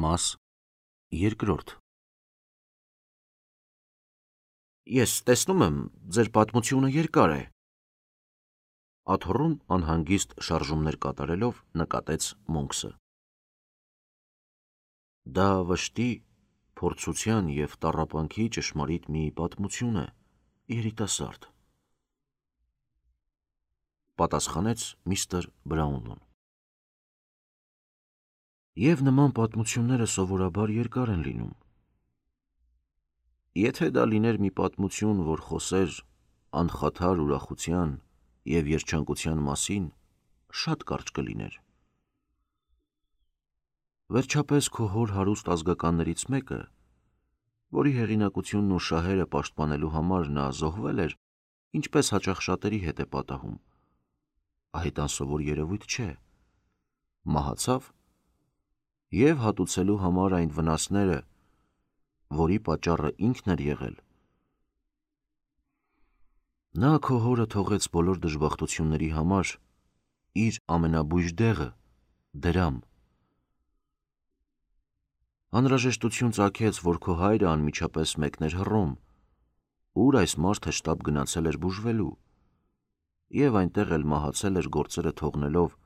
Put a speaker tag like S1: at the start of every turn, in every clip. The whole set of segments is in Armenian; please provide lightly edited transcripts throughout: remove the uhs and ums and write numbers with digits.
S1: Մաս երկրորդ Ես տեսնում եմ, ձեր պատմությունը երկար է։ Աթոռում անհանգիստ շարժումներ կատարելով նկատեց Մոնքսը։ Դա վշտի, փորձության և տառապանքի ճշմարիտ մի պատմություն է, երիտասարդ, պատասխանեց միստր Բրաունլոն։ Եվ նման պատմությունները սովորաբար երկար են լինում։ Եթե դա լիներ մի պատմություն, որ խոսեր անխաթար ուրախության և երջանկության մասին, շատ կարճ կլիներ։ Վերջապես քո հոր հարուստ ազգականներից մեկը, որի հեղինակությունն ու շահերը պաշտպանելու համար նա զոհվել էր, ինչպես հաճախ շատերի հետ է պատահում, այդ անսովոր երևույթ չէ, մահացավ և հատուցելու համար այն վնասները, որի պատճառը ինքն էր եղել, նա քո հորը թողեց բոլոր դժբախտությունների համար իր ամենաբույժ դեղը, դրամ։ Անհրաժեշտություն ծագեց, որ քո հայրը անմիջապես մեկներ Հռոմ, ուր այս մարդը շտապ գնացել էր բուժվելու, և այնտեղ էլ մահացել էր գործերը թողնելով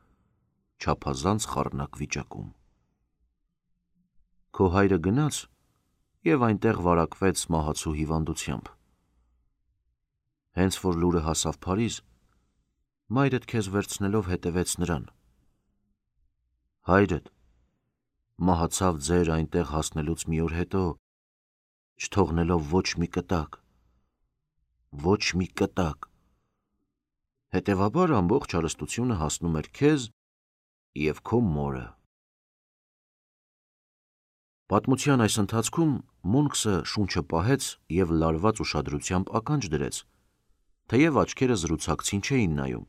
S1: չափազանց խառնակ վիճակում։ Քո հայրը գնաց և այնտեղ վարակվեց մահացու հիվանդությամբ։ Հենց որ լուրը հասավ Փարիզ, մայրդ քեզ վերցնելով հետևեց նրան։ Հայրդ մահացավ ձեր այնտեղ հասնելուց մի օր հետո, չթողնելով ոչ մի կտակ, ոչ մի կտակ, հետևաբար ամբողջ հարստությունը հասնում էր քեզ և քո մորը։ Պատմության այս ընթացքում Մոնքսը շունչը պահեց և լարված ուշադրությամբ ականջ դրեց, թեև աչքերը զրուցակցին չէին նայում։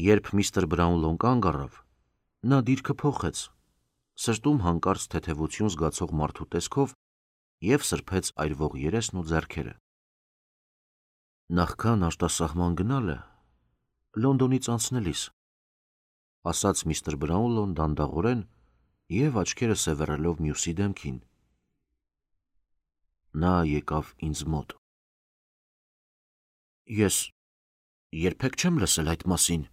S1: Երբ միստր Բրաունլոն կանգ առավ, նա դիրքը փոխեց, սրտում հանկարծ թեթևություն զգացող մարդու տեսքով և սրբեց այրվող երեսն ու ձեռքերը։ Նախքան արտասահման գնալը, Լոնդոնից անցնելիս, ասաց միստր Բրաունլոն դանդաղորեն և աչքերը սևեռելով մյուսի դեմքին, նա եկավ ինձ մոտ։ Ես երբեք չեմ լսել այդ մասին,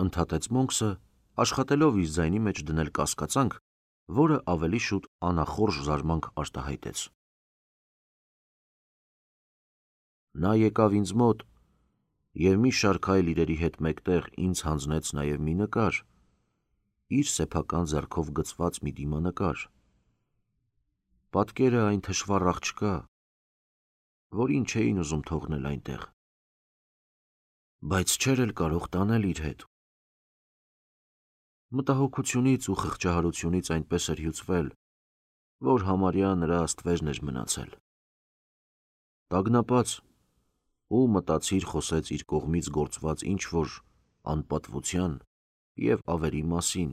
S1: ընդհատեց Մոնքսը, աշխատելով իր ձայնի մեջ դնել կասկածանք, որը ավելի շուտ անախորժ զարմանք արտահայտեց։ Նա եկավ ինձ մոտ և մի շարք այլ իրերի հետ մեկտեղ ինձ հանձնեց նաև մի նկար, իր սեփական ձեռքով գծված մի դիմանկար, պատկերը այն թշվառ աղջկա, որին չէին ուզում թողնել այնտեղ, բայց չէր էլ կարող տանել իր հետ։ Մտահոգությունից ու խղճահարությունից այնպես էր հյուծվել, որ համարյա նրա աստվերն էր մնացել։ Տագնապած ու մտածիր խոսեց իր կողմից գործված ինչ-որ անպատվության և ավերի մասին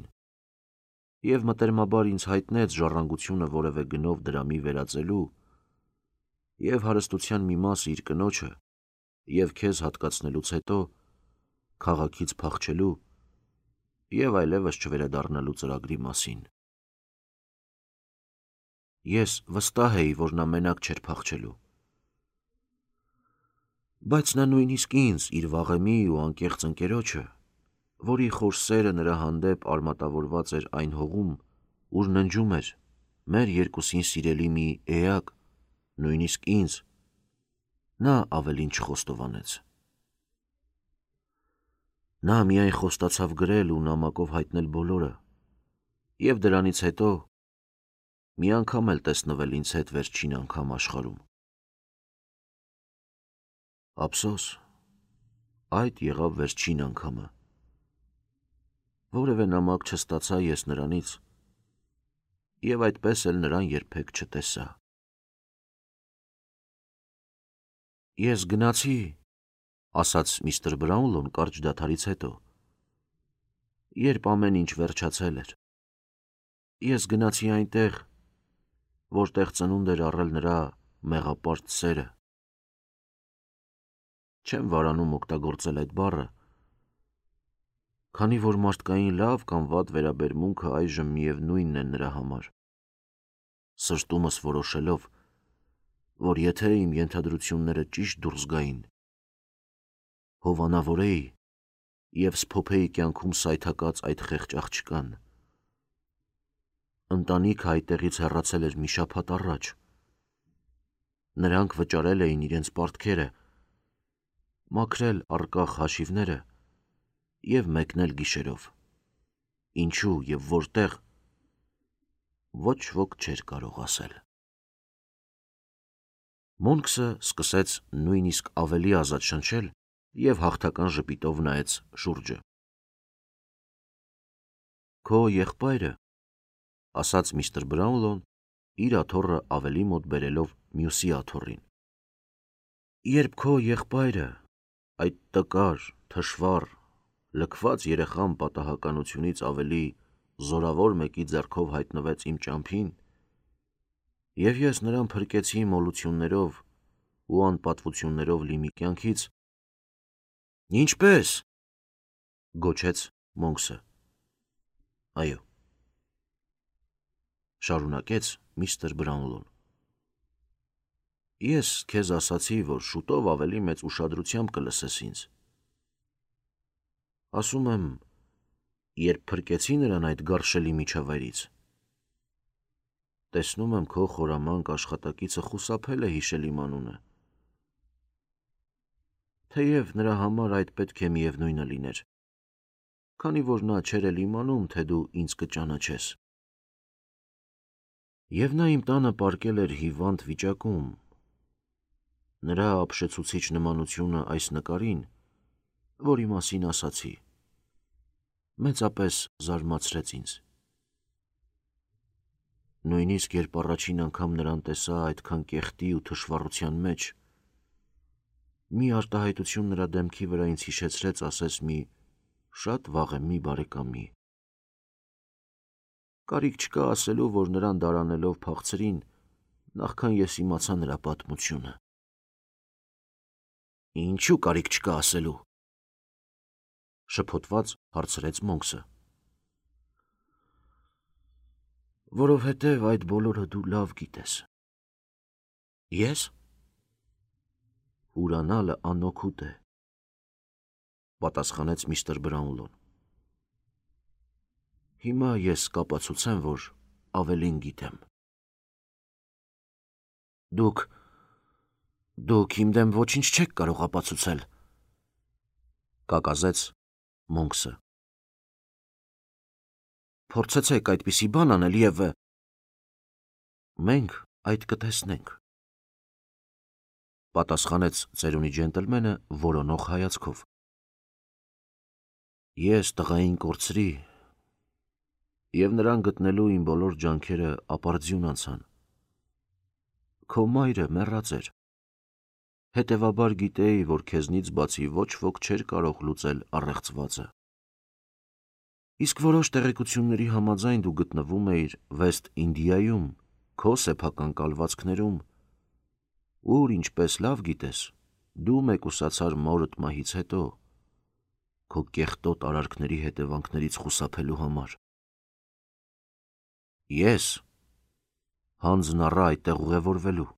S1: և մտերմաբար ինձ հայտնեց ժառանգությունը որևէ գնով դրամի վերածելու և հարստության մի մասը իր կնոջը և քեզ հատկացնելուց հետո քաղաքից փախչելու և այլևս չվերադառնալու ծրագրի մասին։ Ես վստահ էի, որ նա մենակ չէր փախչելու, բայց նա նույնիսկ ինձ, իր վաղեմի ու անկեղծ ընկերոջը, որի խոր սերը նրա հանդեպ արմատավորված էր այն հողում, ուր ննջում էր մեր երկուսին սիրելի մի էակ, նույնիսկ ինձ, նա ավելին չխոստովանեց։ Նա միայն խոստացավ գրել ու նամակով հայտնել բոլորը և դրանից հետո մի անգամ էլ տեսնվել ինձ հետ վերջին անգամ աշխարհում։ Ափսոս, այդ եղավ վերջին անգամը։ Որևէ նամակ չստացա ես նրանից և այդպես էլ նրան երբեք չտեսա։ Ես գնացի, ասաց միստր Բրաունլոն կարճ դադարից հետո, երբ ամեն ինչ վերջացել էր։ Ես գնացի այնտեղ, որտեղ ծնունդ էր առել նրա մեղապարծ սերը։ Չեմ վարանում օգտագործել այդ բառը, քանի որ մարդկային լավ կամ վատ վերաբերմունքը այժմ միևնույնն է նրա համար։ Սրտումս որոշելով, որ եթե իմ ենթադրությունները ճիշտ դուրս գային, հովանավորեի և սփոփեի կյանքում սայթակած այդ խեղճ աղջկան։ Ընտանիքը այդտեղից հեռացել էր մի շաբաթ առաջ։ Նրանք վճարել էին իրենց պարտքերը, մաքրել առկախ հաշիվները և մեկնել գիշերով։ Ինչու և որտեղ, ոչ ոք չէր կարող ասել։ Մոնքսը սկսեց նույնիսկ ավելի ազատ շնչել և հաղթական ժպիտով նայեց շուրջը։ «Քո եղբայրը», ասաց միստր Բրաունլոն, իր աթոռը ավելի մոտ բերելով մյուսի աթոռին։ «Երբ քո եղբայրը, այդ տկար, թշվառ, լքված երեխան պատահականությունից ավելի զորավոր մեկի ձեռքով հայտնվեց իմ ճամփին, և ես նրան փրկեցի մոլություններով ու անպատվություններով լի մի կյանքից»։ «Ինչպե՞ս», գոչեց Մոնքսը։ «Այո», շարունակեց միստր Բրաունլոն, «ես քեզ ասացի, որ շուտով ավելի մեծ ուշադրությամբ կլսես ինձ։ Ասում եմ, երբ փրկեցի նրան այդ գարշելի միջավայրից, տեսնում եմ քո խորամանկ աշխատակիցը խուսափել է հիշել իմ անունը, թեև նրա համար այդ պետք է միևնույնը լիներ, քանի որ նա չէր էլ իմանում, թե դու ինձ կճանաչես։ Եվ նա իմ տանը պառկել էր հիվանդ վիճակում։ Նրա ապշեցուցիչ նմանությունը այս նկարին, որի մասին ասացի, մեծապես զարմացրեց ինձ։ Նույնիսկ երբ առաջին անգամ նրան տեսա այդքան կեղտի ու թշվառության մեջ, մի արտահայտություն նրա դեմքի վրա ինձ հիշեցրեց ասես մի շատ վաղեմի բարեկամի։ Կարիք չկա ասելու, որ նրան դարանելով փախցրին, նախքան ես իմացա նրա պատմությունը։ Ինչու կարիք չկա ասելու, շփոթված հարցրեց Մոնքսը։ Որովհետև այդ բոլորը դու լավ գիտես։ Ես։ Ուրանալը անօգուտ է, պատասխանեց միստր Բրաունլոն։ Հիմա ես կապացուցեմ, որ ավելին գիտեմ։ Դուք իմ դեմ ոչինչ չեք կարող ապացուցել, կակազեց Մոնքսը։ Փորձեցեք այդպիսի բան անել և մենք այդ կտեսնենք, պատասխանեց ծերունի ջենտլմենը որոնող հայացքով։ Ես տղային կորցրի, և նրան գտնելու իմ բոլոր ջանքերը ապարդյուն անցան։ Քո մայրը մեռած էր, հետևաբար գիտեի, որ քեզնից բացի ոչ ոք չէր կարող լուծել առեղծվածը։ Իսկ որոշ տեղեկությունների համաձայն դու գտնվում էիր Վեստ Ինդիայում, քո սեփական կալվածքներում, ուր, ինչպես լավ գիտես, դու մեկուսացար մորդ մահից հետո, քո կեղտոտ արարքների հետևանքներից խուսափելու համար։ Ես հանձն առա այդտեղ ուղևորվելու։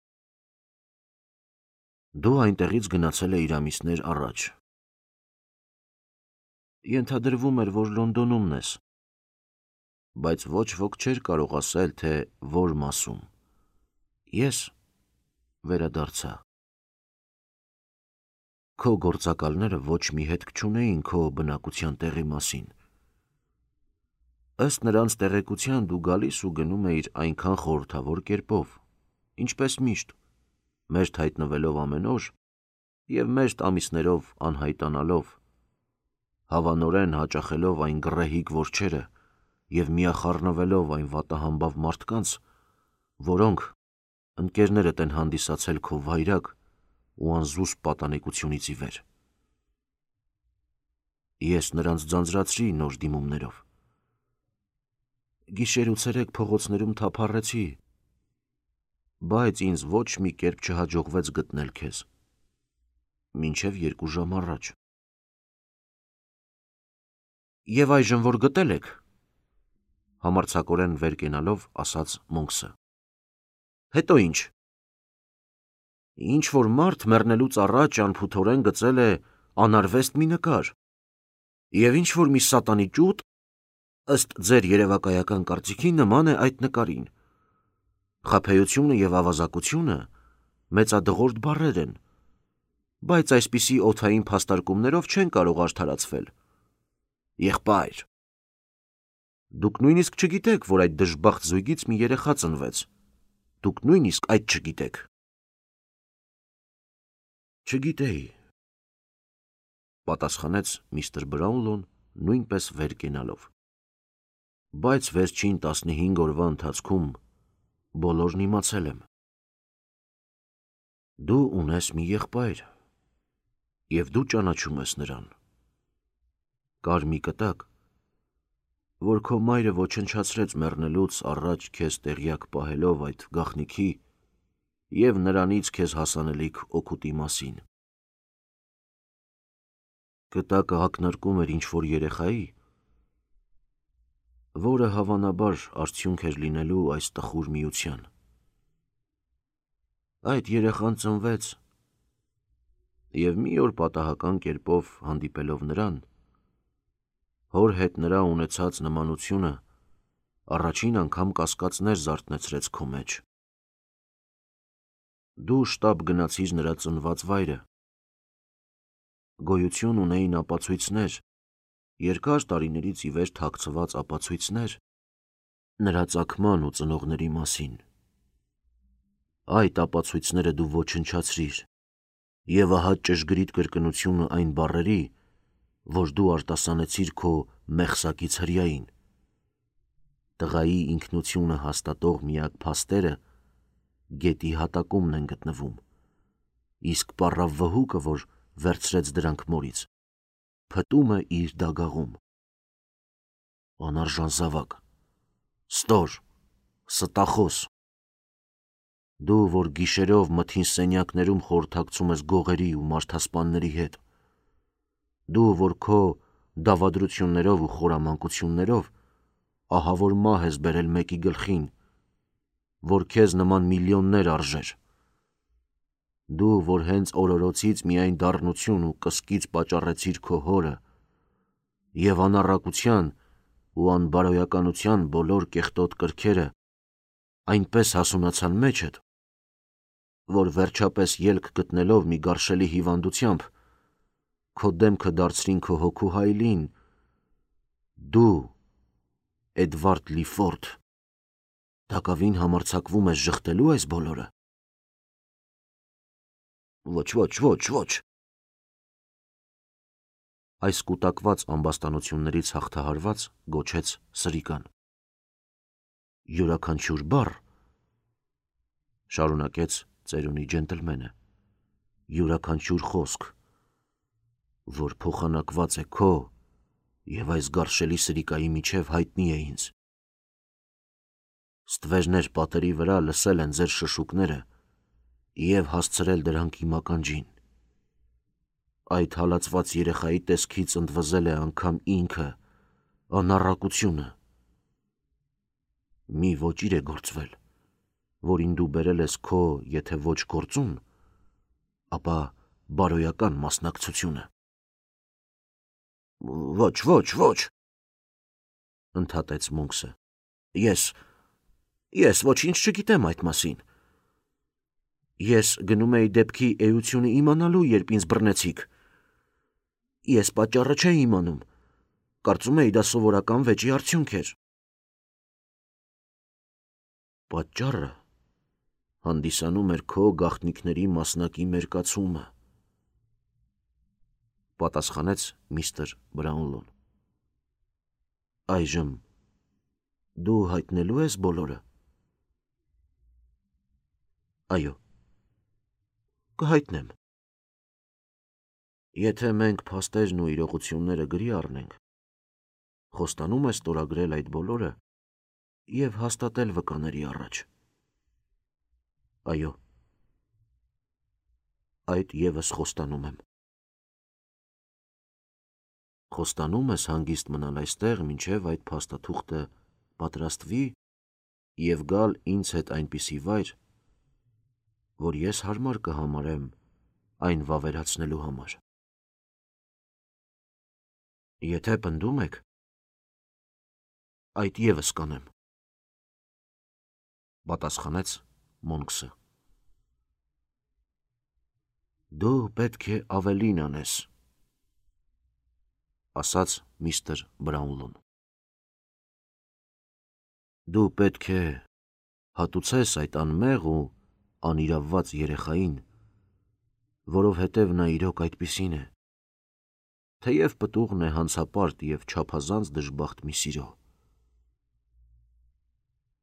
S1: Դու այնտեղից գնացել էիր ամիսներ առաջ։ Ենթադրվում էր, որ Լոնդոնում ես, բայց ոչ ոք չէր կարող ասել, թե որ մասում։ Ես վերադարձա։ Քո գործակալները ոչ մի հետք չունեին քո բնակության տեղի մասին։ Ըստ նրանց տեղեկության դու գալիս ու գնում էիր այնքան խորհրդավոր կերպով, ինչպես միշտ, մերթ հայտնվելով ամեն օր և մերթ ամիսներով անհայտանալով, հավանորեն հաճախելով այն գռեհիկ որջերը և միախառնվելով այն վատահամբավ մարդկանց, որոնք ընկերներդ են հանդիսացել քո վայրագ ու անզուսպ պատանեկությունից ի վեր։ Ես նրանց ձանձրացրի նոր դիմումներով։ Գիշեր ու ցերեկ փողոցներում թափառեցի, բայց ինձ ոչ մի կերպ չհաջողվեց գտնել քեզ, մինչև 2 ժամ առաջ։ Եվ այժմ որ գտել եք, համարձակորեն վեր կենալով ասաց Մոնքսը։ Հետո ինչ։ Ինչ որ մարդ մեռնելուց առաջ անփութորեն գծել է անարվեստ մի նկար, և ինչ որ մի սատանի ճուտ, ըստ ձեր երևակայական կարծիքի նման է այդ նկարին։ Խաբեությունը և ավազակությունը մեծադղորդ բառեր են, բայց այսպիսի օդային փաստարկումներով չեն կարող արդարացվել։ Եղբայր, դուք նույնիսկ չգիտեք, որ այդ դժբախտ զույգից մի երեխա ծնվեց։ Դուք նույնիսկ այդ չգիտեք։ Չգիտեի, պատասխանեց միստր Բրաունլոն նույնպես վեր կենալով։ Բայց վերջին 15 օրվա ընթացքում բոլորն իմացել եմ։ Դու ունես մի եղբայր, և դու ճանաչում ես նրան։ Կար մի կտակ, որ քո մայրը ոչնչացրեց մեռնելուց առաջ քեզ տեղյակ պահելով այդ գաղտնիքի և նրանից քեզ հասանելիք օգուտի մասին։ Կտակը ակնարկում էր ինչ-որ երեխայի, որը հավանաբար արդյունք էր լինելու այս տխուր միության։ Այդ երեխան ծնվեց, և մի օր պատահական կերպով հանդիպելով նրան, հոր հետ նրա ունեցած նմանությունը առաջին անգամ կասկածներ զարթնեցրեց քո մեջ։ Դու շտապ գնացիր նրա ծնված վայրը։ Գոյություն ունեին ապացույցներ, երկար տարիներից ի վեր թաքցված ապացույցներ նրա ծագման ու ծնողների մասին։ Այդ ապացույցները դու ոչնչացրիր, և ահա ճշգրիտ կրկնությունը այն բառերի, որ դու արտասանեցիր քո մեղսակից հրեային։ Տղայի ինքնությունը հաստատող միակ փաստերը գետի հատակումն են գտնվում, իսկ պառավ վհուկը, որ վերցրեց դրանք մորից, փտում է իր դագաղում։ Անարժան զավակ, ստոր, ստախոս, դու, որ գիշերով մթին սենյակներում խորհրդակցում ես գողերի ու մարդասպանների հետ, դու, որ քո դավադրություններով ու խորամանկություններով ահավոր մահ ես բերել մեկի գլխին, որ քեզ նման միլիոններ արժեր, դու, որ հենց օրորոցից միայն դառնություն ու կսկիծ պատճառեցիր քո հորը, և անառակության ու անբարոյականության բոլոր կեղտոտ կրքերը այնպես հասունացան մեջդ, որ վերջապես ելք գտնելով մի գարշելի հիվանդությամբ, քո դեմքը դարձրին քո հոգու հայելին, դու, Էդվարդ Լիֆորդ, տակավին համարձակվում ես ժխտելու այս բոլորը։ Ոչ։ Այս կուտակված ամբաստանություններից հաղթահարված գոչեց սրիկան։ Յուրաքանչյուր բառ, շարունակեց ծերունի ջենտլմենը, յուրաքանչյուր խոսք, որ փոխանակված է քո և այս գարշելի սրիկայի միջև հայտնի է ինձ։ Ստվերներ պատերի վրա լսել են ձեր շշուկները և հասցրել դրանք իմ ականջին։ Այդ հալածված երեխայի տեսքից ընդվզել է անգամ ինքը, անառակությունը։ Մի ոճիր է գործվել, որին դու բերել ես քո եթե ոչ գործուն, ապա բարոյական մասնակցությունը։ Ոչ, ընդհատեց Մոնքսը, ես ոչինչ չգիտեմ այդ մասին։ Ես գնում էի դեպքի էությունը իմանալու, երբ ինձ բռնեցիք։ Ես պատճառը չէի իմանում, կարծում էի դա սովորական վեճի արդյունք էր։ Պատճառը հանդիսանում էր քո գաղտնիքների մասնակի մերկացումը, պատասխանեց միստր Բրաունլոն։ Այժմ դու հայտնելու ես բոլորը։ Այո, կհայտնեմ։ Եթե մենք փաստերն ու իրողությունները գրի առնենք, խոստանում ես ստորագրել այդ բոլորը և հաստատել վկաների առաջ։ Այո, այդ ևս խոստանում եմ։ Խոստանում ես հանգիստ մնալ այստեղ, մինչև այդ փաստաթուղթը պատրաստվի և գալ ինձ հետ այնպիսի վայր, որ ես հարմար կհամարեմ այն վավերացնելու համար։ Եթե պնդում եք, այդ ևս կանեմ, պատասխանեց Մոնքսը։ Դու պետք է ավելին անես, ասաց միստր Բրաունլոն։ Դու պետք է հատուցես այդ անմեղ ու անիրավված երեխային, որովհետև նա իրոք այդպիսին է, թեև պտուղն է հանցապարտ և չափազանց դժբախտ մի սիրո։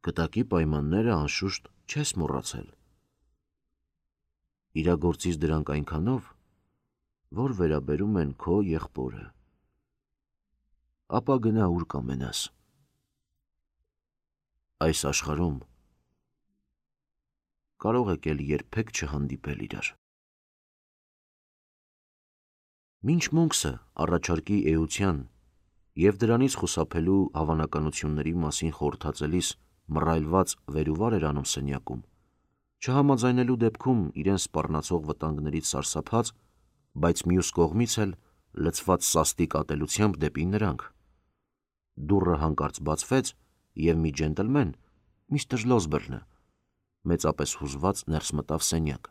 S1: Կտակի պայմանները անշուշտ չես մոռացել։ Իրագործիր դրանք այնքանով, որ վերաբերում են քո եղբորը, ապա գնա ուր կամենաս։ Այս աշխարհում կարող եք էլ երբեք չհանդիպել իրար։ Մինչ Մոնքսը առաջարկի էության և դրանից խուսափելու հավանականությունների մասին խորհրդածելիս մռայլված վերուվար էր անում սենյակում, չհամաձայնելու դեպքում իրեն սպառնացող վտանգներից սարսափած, բայց մյուս կողմից էլ լցված սաստիկ ատելությամբ դեպի նրանք, դուռը հանկարծ բացվեց, և մի ջենտլմեն, միստր Լոսբերնը, մեծապես հուզված ներս մտավ սենյակ։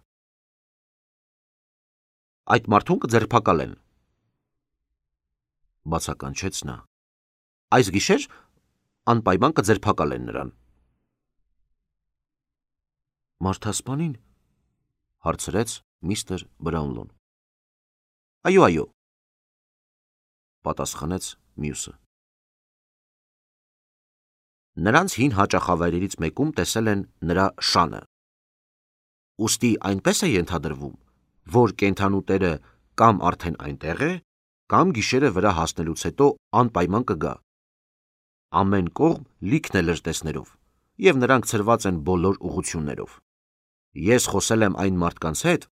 S1: Այդ մարդուն կձերբակալեն, բացականչեց նա։ Այս գիշեր անպայման կձերբակալեն նրան։ Մարդասպանին, հարցրեց միստր Բրաունլոն։ Այո, պատասխանեց մյուսը։ Նրանց հին հաճախավայրերից մեկում տեսել են նրա շանը։ Ուստի այնպես է ենթադրվում, որ կենդանու տերը կամ արդեն այնտեղ է, կամ գիշերը վրա հասնելուց հետո անպայման կգա։ Ամեն կողմ լիքն է լրտեսներով, և նրանք ցրված են բոլոր ուղղություններով։ Ես խոսել եմ այն մարդկանց հետ,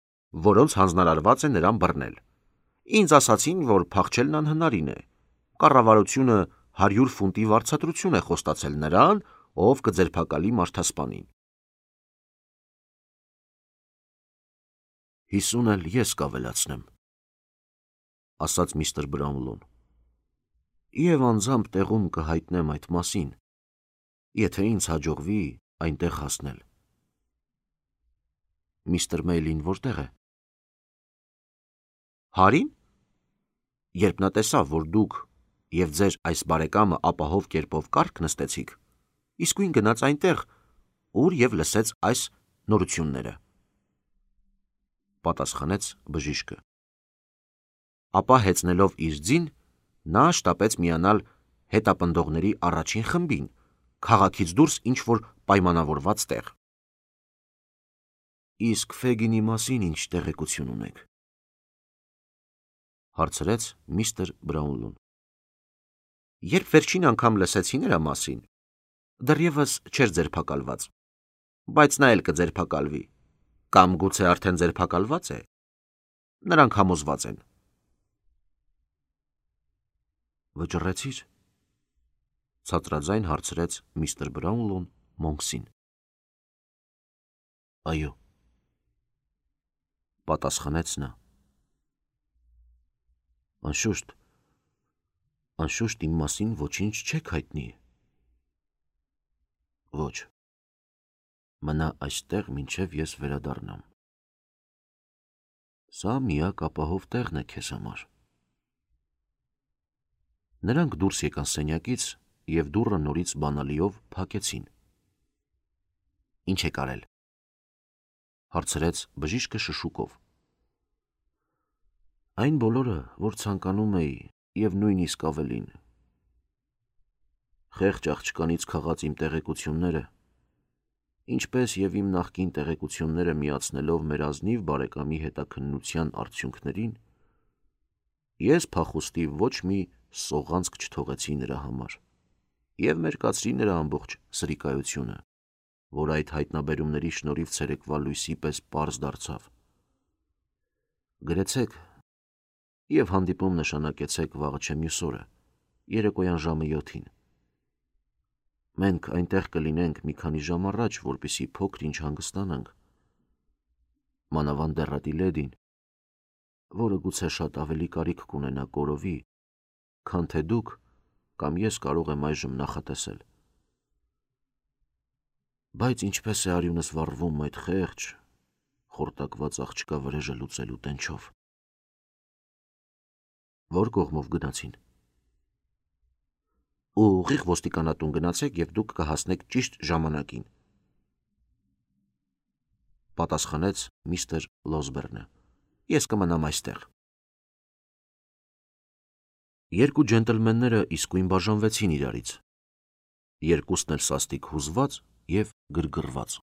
S1: որոնց հանձնարարված է նրան բռնել։ Ինձ ասացին, որ փախչելն անհնարին է։ Կառավարությունը 100 ֆունտի վարձատրություն է խոստացել նրան, ով կձերբակալի մարդասպանին։ 50 էլ ես կավելացնեմ, ասաց միստր Բրաունլոն, և անձամբ տեղում կհայտնեմ այդ մասին, եթե ինձ հաջողվի այնտեղ հասնել։ Միստր Մեյլին որտեղ է։ Հարին, երբ նա տեսավ, որ դուք և ձեր այս բարեկամը ապահով կերպով կառք նստեցիք, իսկույն գնաց այնտեղ, ուր և լսեց այս նորությունները, պատասխանեց բժիշկը։ Ապա հեծնելով իր ձին, նա շտապեց միանալ հետապնդողների առաջին խմբին, քաղաքից դուրս ինչ-որ պայմանավորված տեղ։ Իսկ Ֆեգինի մասին ինչ տեղեկություն ունեք, հարցրեց միստր Բրաունլոն։ Երբ վերջին անգամ լսեցի նրա մասին, դեռևս չէր ձերբակալված, բայց նա էլ կձերբակալվի, կամ գուցե արդեն ձերբակալված է։ Նրանք համոզված են։ Վճռեցի՞ր, ցածրաձայն հարցրեց միստր Բրաունլոն Մոնքսին։ Այո, պատասխանեց նա։ Անշուշտ իմ մասին ոչինչ չեք հայտնի։ Ոչ, մնա այստեղ, մինչև ես վերադառնամ։ Սա միակ ապահով տեղն է քեզ համար։ Նրանք դուրս եկան սենյակից և դուռը նորից բանալիով փակեցին։ Ինչ եք արել, հարցրեց բժիշկը շշուկով։ Այն բոլորը, որ ցանկանում էի, և նույնիսկ ավելին։ Խեղճ աղջկանից քաղած իմ տեղեկությունները, ինչպես և իմ նախկին տեղեկությունները միացնելով մեր ազնիվ բարեկամի հետաքննության արդյունքներին, ես փախուստի ոչ մի սողանցք չթողեցի նրա համար և մերկացրի նրա ամբողջ սրիկայությունը, որ այդ հայտնաբերումների շնորհիվ ցերեկվա լույսի պես պարզ դարձավ։ Գրեցեք, և հանդիպում նշանակեցեք վաղը չէ մյուս օրը, երեկոյան ժամը 7-ին։ Մենք այնտեղ կլինենք մի քանի ժամ առաջ, որպեսզի փոքր-ինչ հանգստանանք։ Մանավանդ դեռատի լեդին, որը գուցե շատ ավելի կարիք կունենա կորովի, քան թե դուք կամ ես կարող եմ այժմ նախատեսել։ Բայց ինչպես է արյունս վառվում այդ խեղճ, խորտակված աղջկա վրեժը լուծելու տենչով։ Որ կողմով գնացին։ Ուղիղ ոստիկանատուն գնացեք և դուք կհասնեք ճիշտ ժամանակին, պատասխանեց միստր Լոսբերնը։ Ես կմնամ այստեղ։ Երկու ջենտլմենները իսկույն բաժանվեցին իրարից, երկուսն էլ սաստիկ հուզված և գրգռված։